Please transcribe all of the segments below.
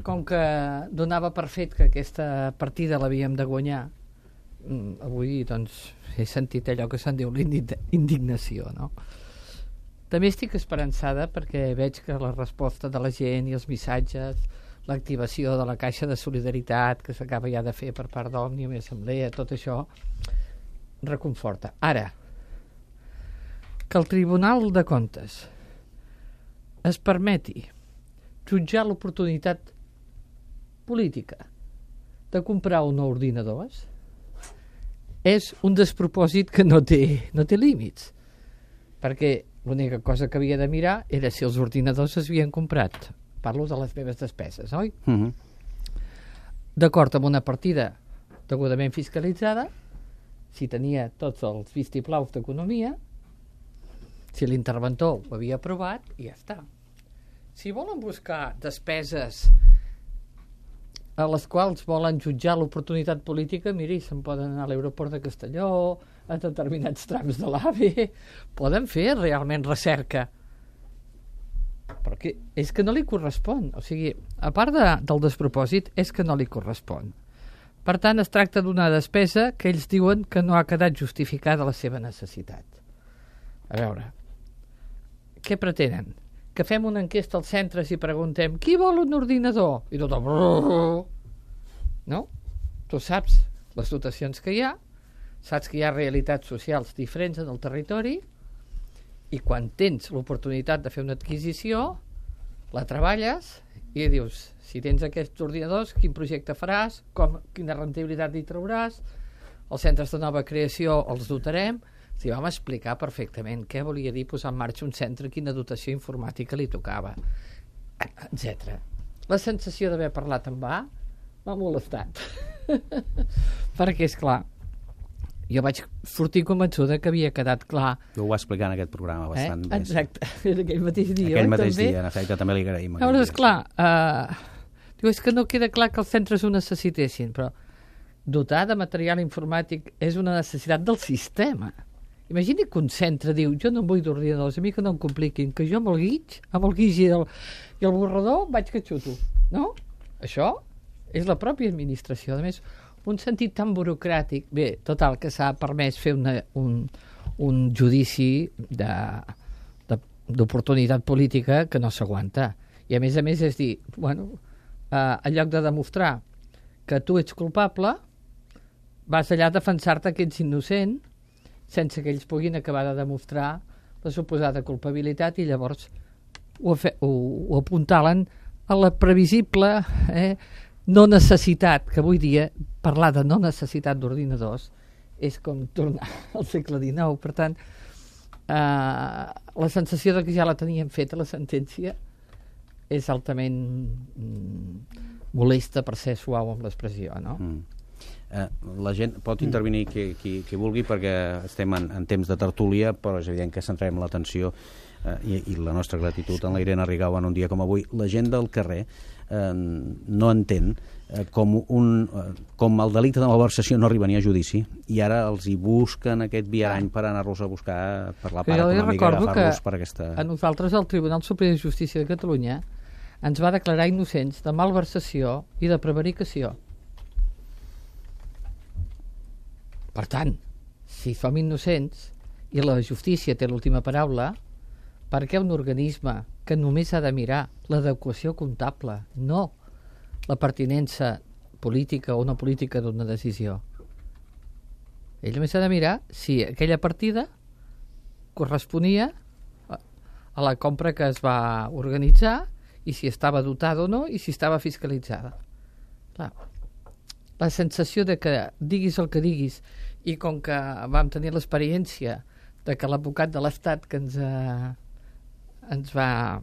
com que donava per fet que aquesta partida l'havíem de guanyar, avui doncs he sentit allò que se'n diu l'indignació, no? També estic esperançada perquè veig que la resposta de la gent i els missatges, l'activació de la Caixa de Solidaritat que s'acaba ja de fer per part d'Òmnium i Assemblea, tot això reconforta. Ara, que el Tribunal de Comptes es permeti jutjar l'oportunitat política de comprar un nou ordinador és un despropòsit que no té límits, perquè l'única cosa que havia de mirar era si els ordinadors s'havien comprat. Parlo de les meves despeses, oi? D'acord amb una partida degudament fiscalitzada, si tenia tots els vistiplaus d'economia, si l'interventor ho havia aprovat, i ja està. Si volen buscar despeses a les quals volen jutjar l'oportunitat política, miri, se'n poden anar a l'aeroport de Castelló, a determinats trams de l'AVE, poden fer realment recerca. Però és que no li correspon. O sigui, a part del despropòsit, és que no li correspon. Per tant, es tracta d'una despesa que ells diuen que no ha quedat justificada la seva necessitat. A veure, què pretenen? Que fem una enquesta als centres i preguntem qui vol un ordinador? I tothom... No? Tu saps les dotacions que hi ha, saps que hi ha realitats socials diferents en el territori i quan tens l'oportunitat de fer una adquisició, la treballes i dius, si tens aquests ordinadors, quin projecte faràs, quina rendibilitat hi trauràs, els centres de nova creació els dotarem. Si vam explicar perfectament què volia dir posar en marxa un centre, quina dotació informàtica li tocava, etc. La sensació d'haver parlat en va m'ha molestat. Perquè, és clar, jo vaig sortir convençuda que havia quedat clar. Jo ho va explicar en aquest programa bastant bé. Exacte, aquell mateix dia. Aquell mateix dia, en efecte, també li agraïm. Llavors, esclar, diu, és que no queda clar que els centres ho necessitessin, però dotar de material informàtic és una necessitat del sistema. Imagini que un centre diu, jo no em vull d'ordinadors, a mi que no em compliquin, que jo amb el guix i el borrador vaig que xuto, no? Això és la pròpia administració. A més, un sentit tan burocràtic, bé, total, que s'ha permès fer un judici d'oportunitat política que no s'aguanta. I a més és dir, bueno, en lloc de demostrar que tu ets culpable, vas allà a defensar-te que ets innocent, sense que ells puguin acabar de demostrar la suposada culpabilitat i llavors ho apuntalen a la previsible no necessitat, que avui dia parlar de no necessitat d'ordinadors és com tornar al segle XIX. Per tant, la sensació de que ja la teníem feta, la sentència, és altament molesta, per ser suau amb l'expressió, no? La gent pot intervenir qui vulgui perquè estem en temps de tertúlia, però és evident que centrem l'atenció i la nostra gratitud en la Irene Rigau en un dia com avui. La gent del carrer no entén com el delicte de malversació no arriba ni a judici i ara els hi busquen aquest viarany per anar-los a buscar per la part econòmica, agafar-los per aquesta... A nosaltres el Tribunal Superior de Justícia de Catalunya ens va declarar innocents de malversació i de prevaricació. Per tant, si som innocents i la justícia té l'última paraula, per què un organisme que només ha de mirar l'adequació comptable, no la pertinença política o no política d'una decisió? Ell només ha de mirar si aquella partida corresponia a la compra que es va organitzar i si estava dotada o no i si estava fiscalitzada. Clar, la sensació de que diguis el que diguis i com que vam tenir l'experiència de que l'advocat de l'Estat que ens va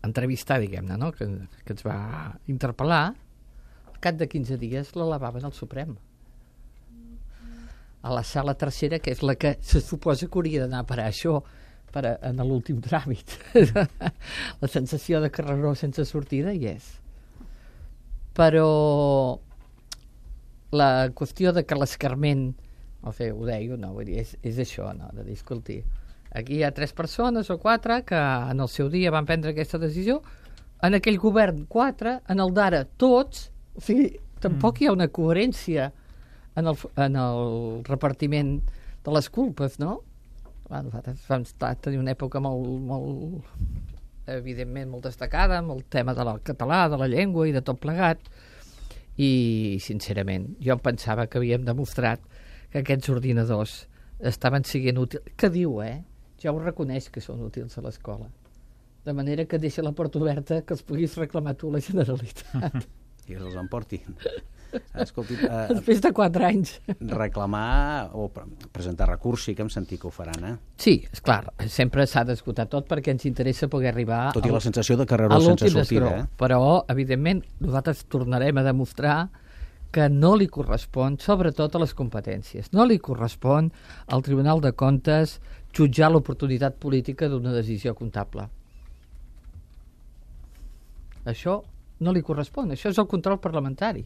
entrevistar, diguem-ne, no? que ens va interpel·lar, al cap de 15 dies l'elevaven al Suprem. A la sala tercera, que és la que se suposa que hauria d'anar a parar això en l'últim tràmit. La sensació de carreró sense sortida hi és. Però la qüestió de que l'escarment, ho deia, no, vull dir, és això, no? De dir, escolti, aquí hi ha 3 persones o 4 que en el seu dia van prendre aquesta decisió, en aquell govern 4, en el d'ara tots, o sigui, tampoc hi ha una coherència en el repartiment de les culpes, no? Nosaltres vam tenir una època molt evidentment molt destacada amb el tema del català, de la llengua i de tot plegat, i sincerament jo em pensava que havíem demostrat que aquests ordinadors estaven sent útils, que diu, ja ho reconeix que són útils a l'escola, de manera que deixa la porta oberta que els puguis reclamar tu a la Generalitat. I els emportin. Escolti, després de 4 anys. Reclamar o presentar recurs sí que em sentit que ho faran, Sí, esclar, sempre s'ha d'esgotar tot perquè ens interessa poder arribar tot i la sensació de carreró sense sortida, Però, evidentment, nosaltres tornarem a demostrar que no li correspon, sobretot a les competències, no li correspon al Tribunal de Comptes jutjar l'oportunitat política d'una decisió comptable. Això no li correspon, això és el control parlamentari.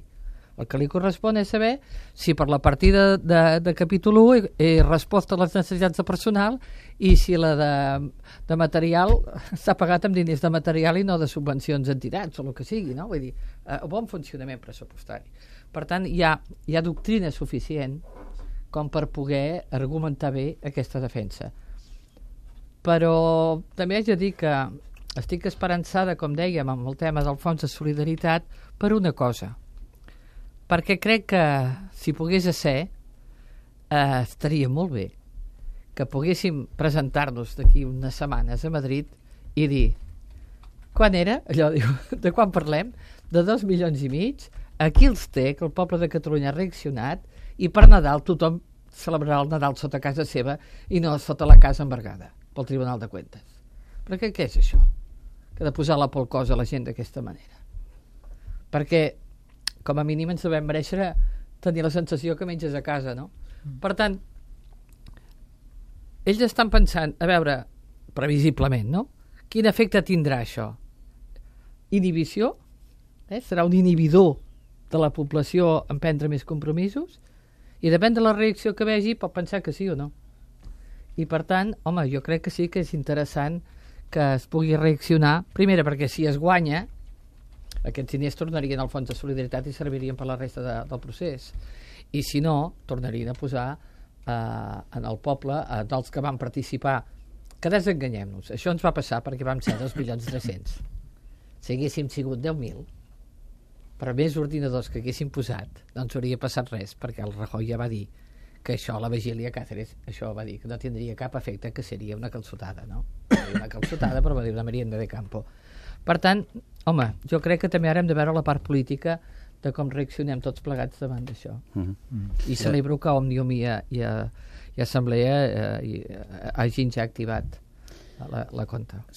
El que li correspon és saber si per la partida de capítol 1 he respost a les necessitats de personal i si la de material s'ha pagat amb diners de material i no de subvencions a entitats o el que sigui, no? Vull dir, bon funcionament pressupostari. Per tant, hi ha doctrina suficient com per poder argumentar bé aquesta defensa. Però també haig de dir que estic esperançada, com dèiem, amb el tema del fons de solidaritat per una cosa, perquè crec que si pogués ser estaria molt bé que poguéssim presentar-nos d'aquí unes setmanes a Madrid i dir quan era, allò diu, de quan parlem? De 2,5 milions, aquí els té, que el poble de Catalunya ha reaccionat i per Nadal tothom celebrarà el Nadal sota casa seva i no sota la casa embargada pel Tribunal de Cuentas. Perquè què és això? Que de posar la pel cos a la gent d'aquesta manera. Perquè com a mínim ens devem mereixer tenir la sensació que menges a casa, no? Per tant, ells estan pensant, a veure, previsiblement, no? Quin efecte tindrà això? Inhibició? Serà un inhibidor de la població en prendre més compromisos? I depèn de la reacció que vegi, pot pensar que sí o no. I per tant, home, jo crec que sí que és interessant que es pugui reaccionar, primera perquè si es guanya, aquests diners tornarien al fons de solidaritat i servirien per la resta del procés. I si no, tornarien a posar en el poble dels que van participar. Que desenganyem-nos. Això ens va passar perquè vam ser 2.300.000. Si haguéssim sigut 10.000, per més ordinadors que haguéssim posat, no ens hauria passat res, perquè el Rajoy ja va dir que això, la Vigília Cáceres, això va dir que no tindria cap efecte, que seria una calçotada, no? Una calçotada, però va dir una merienda de campo. Per tant, home, jo crec que també ara hem de veure la part política de com reaccionem tots plegats davant d'això. I celebro que Òmnium i Assemblea hagin ja activat la compta.